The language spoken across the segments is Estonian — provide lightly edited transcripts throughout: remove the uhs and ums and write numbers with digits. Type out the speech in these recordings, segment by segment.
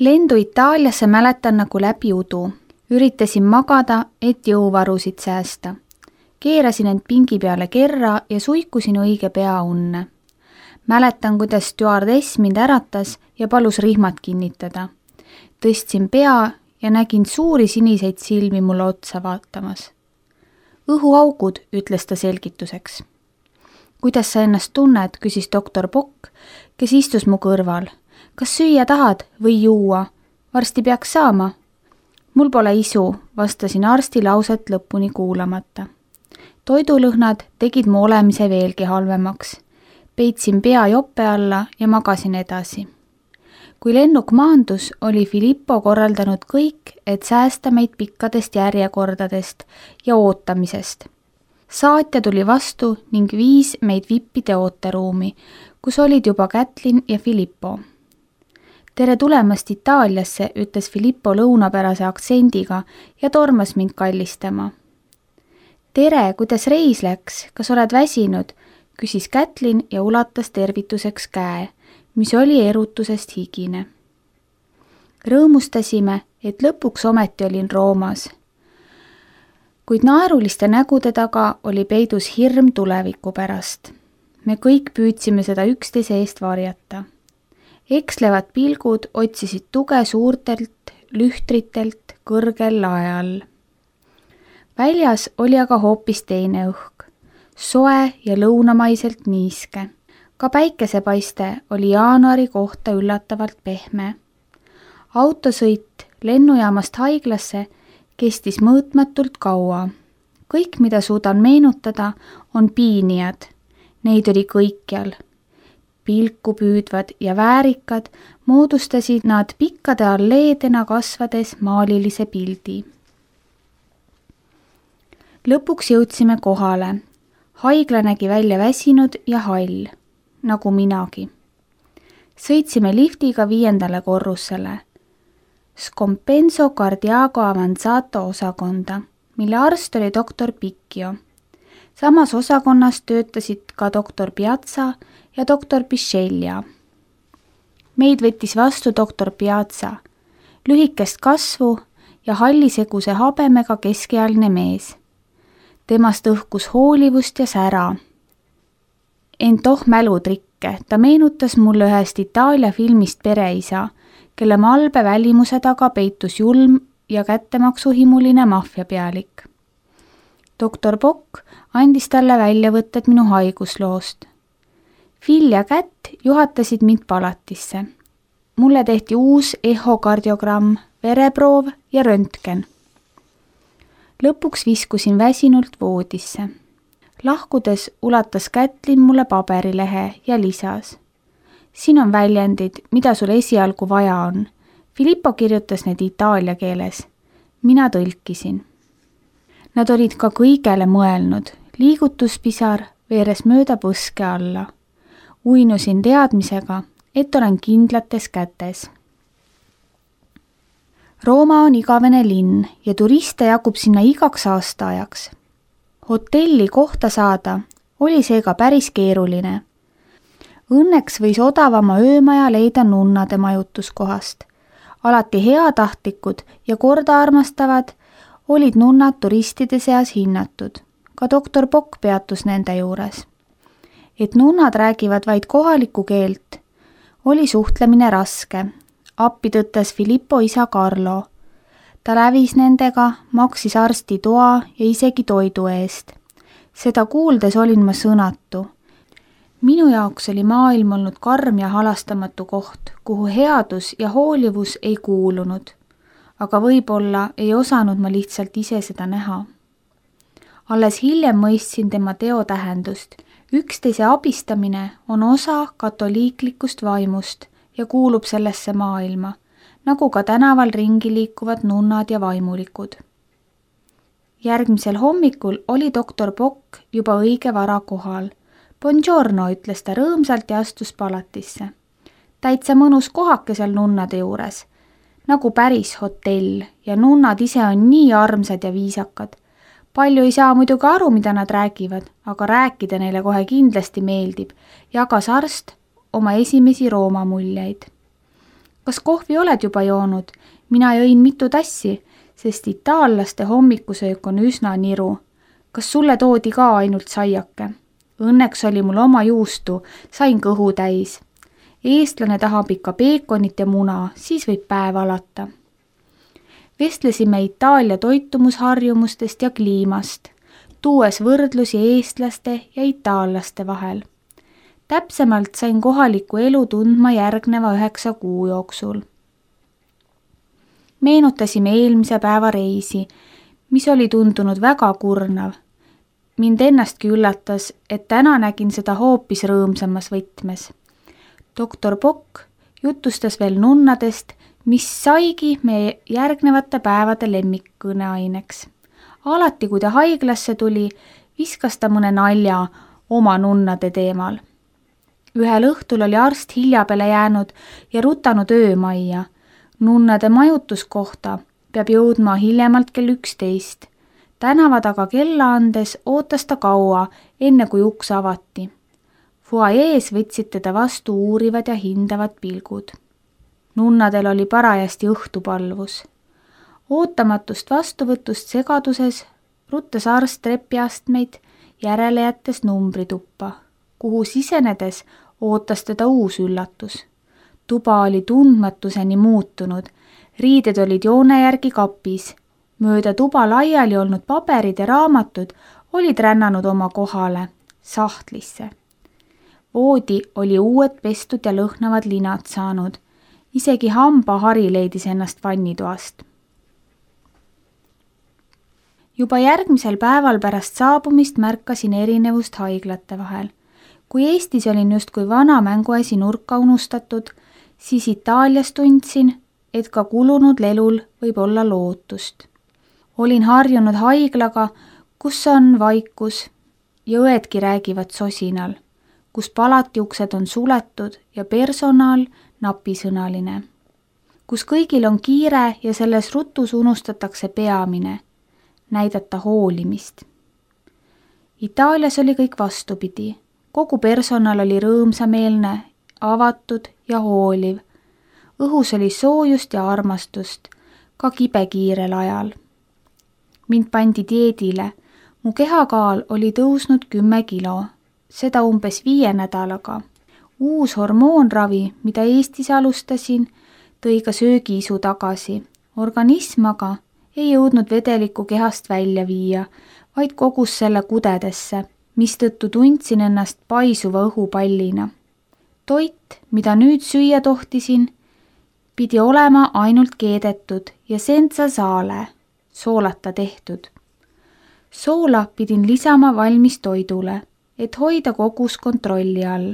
Lendu Itaaliasse mäletan nagu läbi udu. Üritasin magada, et jõuvarusid säästa. Keerasin end pingi peale kerra ja suikusin õige pea unne. Mäletan, kuidas stjuardess mind äratas ja palus rihmad kinnitada. Tõstsin pea ja nägin suuri siniseid silmi mulle otsa vaatamas. Õhuaugud, ütles ta selgituseks. Kuidas sa ennast tunned, küsis doktor Bock, kes istus mu kõrval. Kas süüa tahad või juua? Varsti peaks saama. Mul pole isu, vastasin arsti lauset lõpuni kuulamata. Toidulõhnad tegid mu olemise veelgi halvemaks. Peitsin pea jope alla ja magasin edasi. Kui lennuk maandus, oli Filippo korraldanud kõik, et säästa meid pikkadest järjekordadest ja ootamisest. Saatja tuli vastu ning viis meid vippide ooteruumi, kus olid juba Kätlin ja Filippo. Tere tulemast Itaaliasse, ütles Filippo lõunapärase aktsendiga ja tormas mind kallistama. Tere, kuidas reis läks? Kas oled väsinud? Küsis Kätlin ja ulatas tervituseks käe, mis oli erutusest higine. Rõõmustasime, et lõpuks ometi olin Roomas. Kuid naeruliste nägude taga oli peidus hirm tuleviku pärast. Me kõik püüdsime seda üksteise eest varjata. Ekslevad pilgud otsisid tuge suurtelt lühtritelt kõrgel lae all. Väljas oli aga hoopis teine õhk, soe ja lõunamaiselt niiske. Ka päikesepaiste oli jaanuari kohta üllatavalt pehme. Autosõit lennujaamast haiglasse kestis mõõtmatult kaua. Kõik, mida suudan meenutada, on piinijad. Neid oli kõikjal. Pilku püüdvad ja väärikad moodustasid nad pikkade alleedena kasvades maalilise pildi. Lõpuks jõudsime kohale. Haigla nägi välja väsinud ja hall, nagu minagi. Sõitsime liftiga 5. korrusele. Scompenso Cardiaco Avanzato osakonda, mille arst oli doktor Picchio. Samas osakonnas töötasid ka doktor Piazza ja doktor Pisceglia. Meid võttis vastu doktor Piazza, lühikest kasvu ja halliseguse habemega keskealine mees. Temast õhkus hoolivust ja sära. Ent mälutrikke, ta meenutas mulle ühest Itaalia filmist Pereisa, kelle malbe välimuse taga peitus julm ja kättemaksuhimuline maffiapealik. Doktor Bock andis talle väljavõtted minu haigusloost. Phil ja Kätt juhatasid mind palatisse. Mulle tehti uus ehokardiogramm, vereproov ja röntgen. Lõpuks viskusin väsinult voodisse. Lahkudes ulatas Kätlin mulle paberilehe ja lisas. Siin on väljendid, mida sul esialgu vaja on. Filippo kirjutas need itaalia keeles. Mina tõlkisin. Nad olid ka kõigele mõelnud. Liigutuspisar veeres mööda põske alla. Uinusin teadmisega, et olen kindlates kätes. Rooma on igavene linn ja turiste jagub sinna igaks aastaajaks. Hotelli kohta saada oli seega päris keeruline. Õnneks võis odavama öömaja leida nunnade majutuskohast. Alati heatahtlikud ja korda armastavad olid nunnad turistide seas hinnatud. Ka doktor Bock peatus nende juures. Et nunnad räägivad vaid kohalikku keelt, oli suhtlemine raske. Appi tõttas Filippo isa Carlo. Ta lävis nendega, maksis arsti toa ja isegi toidu eest. Seda kuuldes olin ma sõnatu. Minu jaoks oli maailm olnud karm ja halastamatu koht, kuhu headus ja hoolivus ei kuulunud. Aga võib-olla ei osanud ma lihtsalt ise seda näha. Alles hiljem mõistsin tema teo tähendust. Üksteise abistamine on osa katoliiklikust vaimust ja kuulub sellesse maailma, nagu ka tänaval ringi liikuvad nunnad ja vaimulikud. Järgmisel hommikul oli doktor Bock juba õige vara kohal. Buongiorno, ütles ta rõõmsalt ja astus palatisse. Täitsa mõnus kohake seal nunnade juures, nagu päris hotell ja nunnad ise on nii armsad ja viisakad. Palju ei saa muidugi aru, mida nad räägivad, aga rääkida neile kohe kindlasti meeldib, jagas arst oma esimesi Rooma muljeid. kas kohvi oled juba joonud? Mina jõin mitu tassi, sest itaallaste hommikusöök on üsna niru. Kas sulle toodi ka ainult saiake? Õnneks oli mul oma juustu, sain kõhu täis. Eestlane tahab ikka peekonit ja muna, siis võib päev alata. Vestlesime Itaalia toitumusharjumustest ja kliimast, tuues võrdlusi eestlaste ja itaallaste vahel. Täpsemalt sain kohalikku elu tundma järgneva 9 kuu jooksul. Meenutasime eelmise päeva reisi, mis oli tundunud väga kurnav. Mind ennastki üllatas, et täna nägin seda hoopis rõõmsamas võtmes. Doktor Bock jutustas veel nunnadest, mis saigi meie järgnevate päevade lemmikkõneaineks. Alati, kui ta haiglasse tuli, viskas ta mõne nalja oma nunnade teemal. Ühel õhtul oli arst hilja peale jäänud ja rutanud öömajja. Nunnade majutuskohta peab jõudma hiljemalt kell 11. Tänava taga kella andes ootas ta kaua, enne kui uks avati. Fuajees võtsid teda vastu uurivad ja hindavad pilgud. Nunnadel oli parajasti õhtupalvus. Ootamatust vastuvõtust segaduses ruttas arst trepiastmeid järele jättes numbrituppa, kuhu sisenedes ootas teda uus üllatus. Tuba oli tundmatuseni muutunud, riided olid joone järgi kapis, mööda tuba laiali olnud paberid ja raamatud olid rännanud oma kohale, sahtlisse. Voodi oli uued pestud ja lõhnavad linad saanud, isegi hambahari leidis ennast vannitoast. Juba järgmisel päeval pärast saabumist märkasin erinevust haiglate vahel. Kui Eestis olin justkui vana mänguasi nurka unustatud, siis Itaalias tundsin, et ka kulunud lelul võib olla lootust. Olin harjunud haiglaga, kus on vaikus ja õedki räägivad sosinal, kus palatiuksed on suletud ja personal napisõnaline, kus kõigil on kiire ja selles rutus unustatakse peamine, näidata hoolimist. Itaalias oli kõik vastupidi. Kogu personal oli rõõmsameelne, avatud ja hooliv. Õhus oli soojust ja armastust, ka kibekiirel ajal. Mind pandi dieedile. Mu kehakaal oli tõusnud 10 kilo, seda umbes 5 nädalaga. Uus hormoonravi, mida Eestis alustasin, tõi ka söögiisu tagasi. Organism aga ei jõudnud vedelikku kehast välja viia, vaid kogus selle kudedesse, mistõttu tundsin ennast paisuva õhupallina. Toit, mida nüüd süüa tohtisin, pidi olema ainult keedetud ja senza sale, soolata tehtud. Soola pidin lisama valmis toidule, et hoida kogus kontrolli all,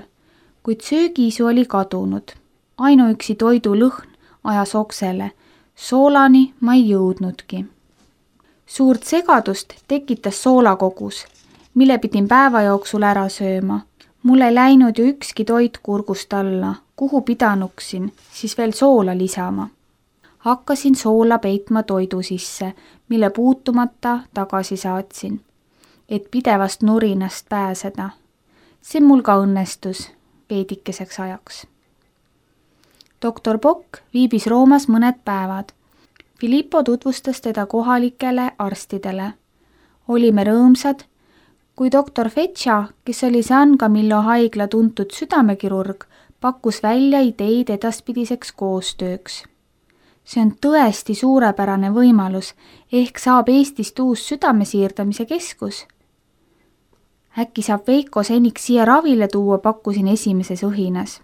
kuid söögiisu oli kadunud. Ainuüksi toidu lõhn ajas oksele, soolani ma ei jõudnudki. Suurt segadust tekitas soolakogus, mille pidin päeva jooksul ära sööma. Mul ei läinud ju ükski toit kurgust alla, kuhu pidanuksin, siis veel soola lisama. Hakkasin soola peitma toidu sisse, mille puutumata tagasi saatsin, et pidevast nurinast pääseda. See mul ka õnnestus veidikeseks ajaks. Doktor Bock viibis Roomas mõned päevad. Filippo tutvustas teda kohalikele arstidele. Olime rõõmsad, kui doktor Feccia, kes oli San Camillo haigla tuntud südamekirurg, pakkus välja ideid edaspidiseks koostööks. See on tõesti suurepärane võimalus, ehk saab Eestist uus südamesiirdamise keskus. Äkki saab Veiko seniks siia ravile tuua, pakkusin esimeses õhinas.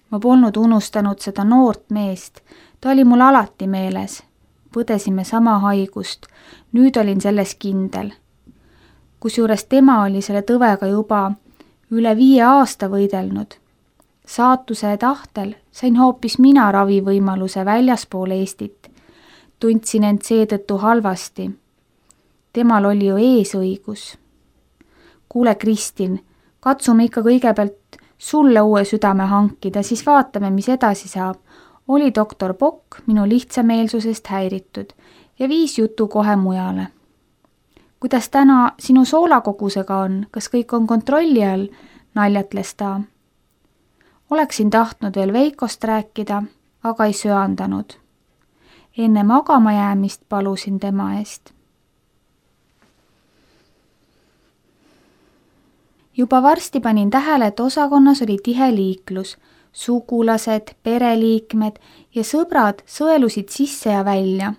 Ma polnud unustanud seda noort meest, ta oli mul alati meeles. Põdesime sama haigust, nüüd olin selles kindel. Kusjuures tema oli selle tõvega juba üle 5 aasta võidelnud. Saatuse tahtel sain hoopis mina ravivõimaluse väljaspool Eestit. Tundsin end seetõttu halvasti. Temal oli ju eesõigus. Kuule, Kristin, katsume ikka kõigepealt sulle uue südame hankida, siis vaatame, mis edasi saab. Oli doktor Bock minu lihtsameelsusest häiritud ja viis jutu kohe mujale. Kuidas täna sinu soolakogusega on? Kas kõik on kontrolli all? Naljatles ta. Oleksin tahtnud veel Veikost rääkida, aga ei söandanud. Enne magama jäämist palusin tema eest. Juba varsti panin tähele, et osakonnas oli tihe liiklus. Sugulased, pereliikmed ja sõbrad sõelusid sisse ja välja.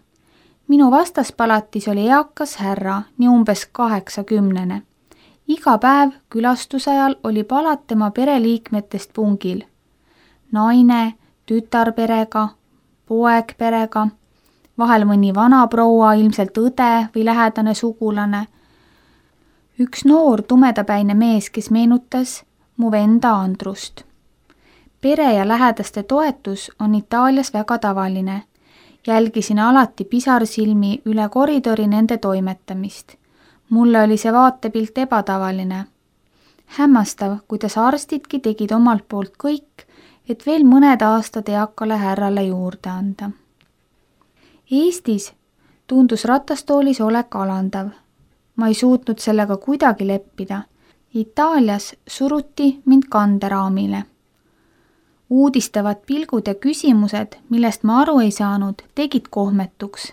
Minu vastaspalatis oli eakas härra, nii umbes 80. Iga päev külastuse ajal oli palat tema pereliikmetest pungil. Naine, tütarperega, poeg perega, vahel mõni vanaproua, ilmselt õde või lähedane sugulane. Üks noor tumedapäine mees, kes meenutas mu venda Andrust. Pere ja lähedaste toetus on Itaalias väga tavaline. Jälgisin alati pisarsilmi üle koridori nende toimetamist. Mulle oli see vaatepilt ebatavaline. Hämmastav, kuidas arstidki tegid omalt poolt kõik, et veel mõned aastad eakale härrale juurde anda. Eestis tundus ratastoolis olek alandav. Ma ei suutnud sellega kuidagi leppida. Itaalias suruti mind kanderaamile. Uudistavad pilgud ja küsimused, millest ma aru ei saanud, tegid kohmetuks.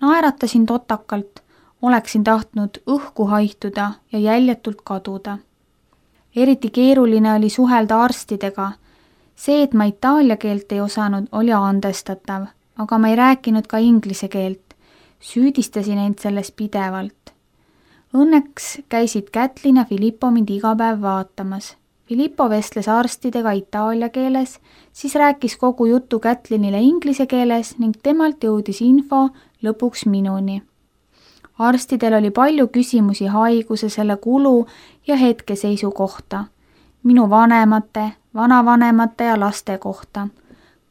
Naeratasin totakalt, oleksin tahtnud õhku haihtuda ja jäljetult kaduda. Eriti keeruline oli suhelda arstidega. See, et ma itaalia keelt ei osanud, oli andestatav, aga ma ei rääkinud ka inglise keelt. Süüdistasin end selles pidevalt. Õnneks käisid Kätlin ja Filippo mind iga päev vaatamas. Filippo vestles arstidega itaalia keeles, siis rääkis kogu jutu Kätlinile inglise keeles ning temalt jõudis info lõpuks minuni. Arstidel oli palju küsimusi haiguse, selle kulu ja hetkeseisu kohta. Minu vanemate, vanavanemate ja laste kohta.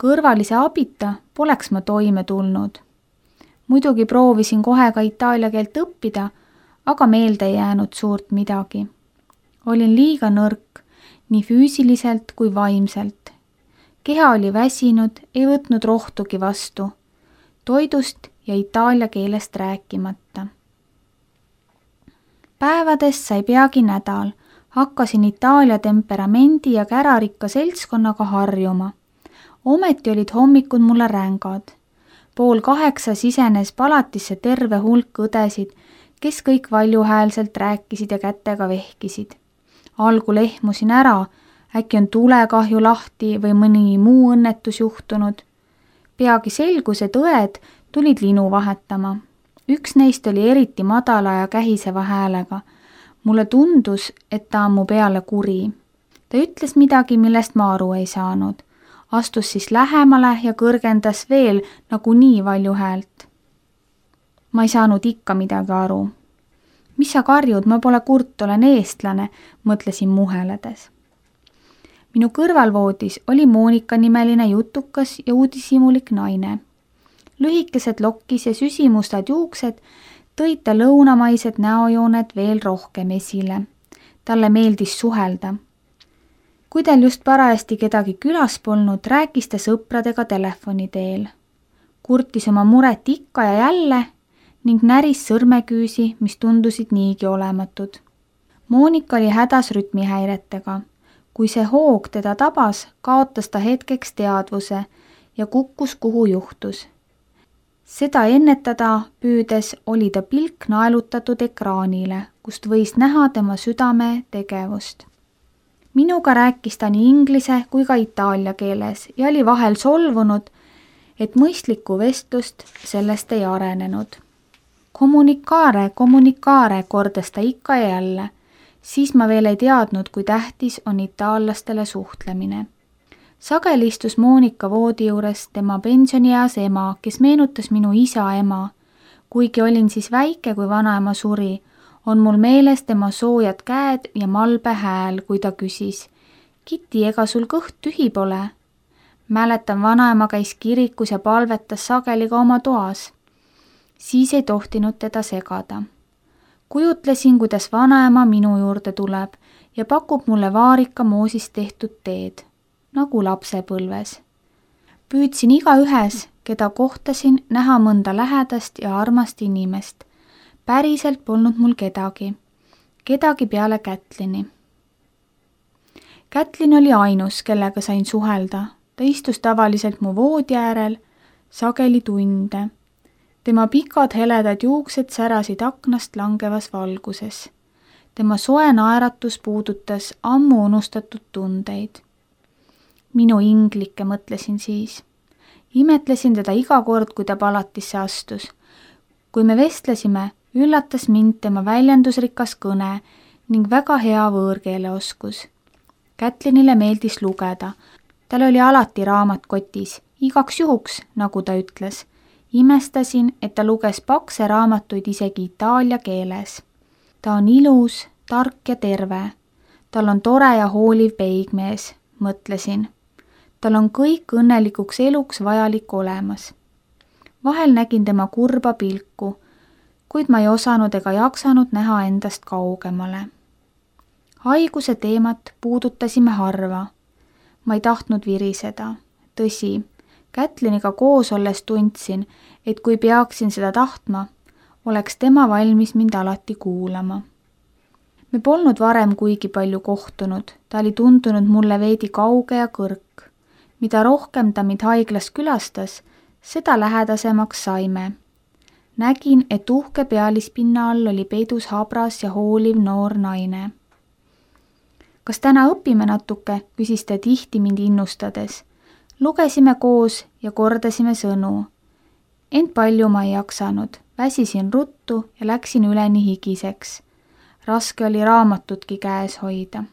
Kõrvalise abita poleks ma toime tulnud. Muidugi proovisin kohe ka itaalia keelt õppida, aga meelde ei jäänud suurt midagi. Olin liiga nõrk, nii füüsiliselt kui vaimselt. Keha oli väsinud, ei võtnud rohtugi vastu. Toidust ja itaalia keelest rääkimata. Päevadest sai peagi nädal. Hakkasin Itaalia temperamendi ja kärarikka seltskonnaga harjuma. Ometi olid hommikud mulle rängad. 7:30 sisenes palatisse terve hulk õdesid, kes kõik valjuhäälselt rääkisid ja kätega vehkisid. Algul ehmusin ära, äkki on tulekahju lahti või mõni muu õnnetus juhtunud. Peagi selgus, et õed tulid linu vahetama. Üks neist oli eriti madala ja kähiseva häälega. Mulle tundus, et ta on mu peale kuri. Ta ütles midagi, millest ma aru ei saanud. Astus siis lähemale ja kõrgendas veel nagunii valju häält. Ma ei saanud ikka midagi aru. Mis sa karjud, ma pole kurt, olen eestlane, mõtlesin muheledes. Minu kõrvalvoodis oli Monika nimeline jutukas ja uudishimulik naine. Lühikesed lokkis ja süsimustad juuksed tõid ta lõunamaised näojooned veel rohkem esile. Talle meeldis suhelda. Kui tal just parajasti kedagi külas polnud, rääkis ta sõpradega telefoni teel. Kurtis oma muret ikka ja jälle ning näris sõrmeküüsi, mis tundusid niigi olematud. Monika oli hädas rütmihäiretega. Kui see hoog teda tabas, kaotas ta hetkeks teadvuse ja kukkus kuhu juhtus. Seda ennetada püüdes oli ta pilk naelutatud ekraanile, kust võis näha tema südame tegevust. Minuga rääkis ta nii inglise kui ka itaalia keeles ja oli vahel solvunud, et mõistlikku vestlust sellest ei arenenud. Kommunikaare, kordas ta ikka ja jälle. Siis ma veel ei teadnud, kui tähtis on itaallastele suhtlemine. Sageli istus Monika voodi juures tema pensionieas ema, kes meenutas minu isa ema. Kuigi olin siis väike, kui vanaema suri, on mul meeles tema soojad käed ja malbe hääl, kui ta küsis. Kiti, ega sul kõht tühi pole? Mäletan, vanaema käis kirikus ja palvetas sageli ka oma toas. Siis ei tohtinud teda segada. Kujutlesin, kuidas vanaema minu juurde tuleb ja pakub mulle vaarika moosist tehtud teed, nagu lapsepõlves. Püüdsin igaühes, keda kohtasin, näha mõnda lähedast ja armast inimest. Päriselt polnud mul kedagi peale Kätlini. Kätlin oli ainus, kellega sain suhelda. Ta istus tavaliselt mu voodi äärel, sageli tunde. Tema pikad heledad juuksed särasid aknast langevas valguses. Tema soe naeratus puudutas ammu unustatud tundeid. Minu inglike, mõtlesin siis. Imetlesin teda iga kord, kui ta palatisse astus. Kui me vestlesime, üllatas mind tema väljendusrikas kõne ning väga hea võõrkeeleoskus. Kätlinile meeldis lugeda. Tal oli alati raamat kotis, igaks juhuks, nagu ta ütles. Imestasin, et ta luges pakse raamatuid isegi itaalia keeles. Ta on ilus, tark ja terve. Tal on tore ja hooliv peigmees, mõtlesin. Tal on kõik õnnelikuks eluks vajalik olemas. Vahel nägin tema kurba pilku, kuid ma ei osanud ega jaksanud näha endast kaugemale. Haiguse teemat puudutasime harva. Ma ei tahtnud viriseda. Tõsi, Kätliniga koos olles tundsin, et kui peaksin seda tahtma, oleks tema valmis mind alati kuulama. Me polnud varem kuigi palju kohtunud, ta oli tundunud mulle veidi kauge ja kõrk. Mida rohkem ta mind haiglas külastas, seda lähedasemaks saime. Nägin, et uhke pealispinna all oli peidus habras ja hooliv noor naine. Kas täna õpime natuke, küsis ta tihti mind innustades. Lugesime koos ja kordasime sõnu. Ent palju ma ei jaksanud, väsisin ruttu ja läksin üleni higiseks. Raske oli raamatutki käes hoida.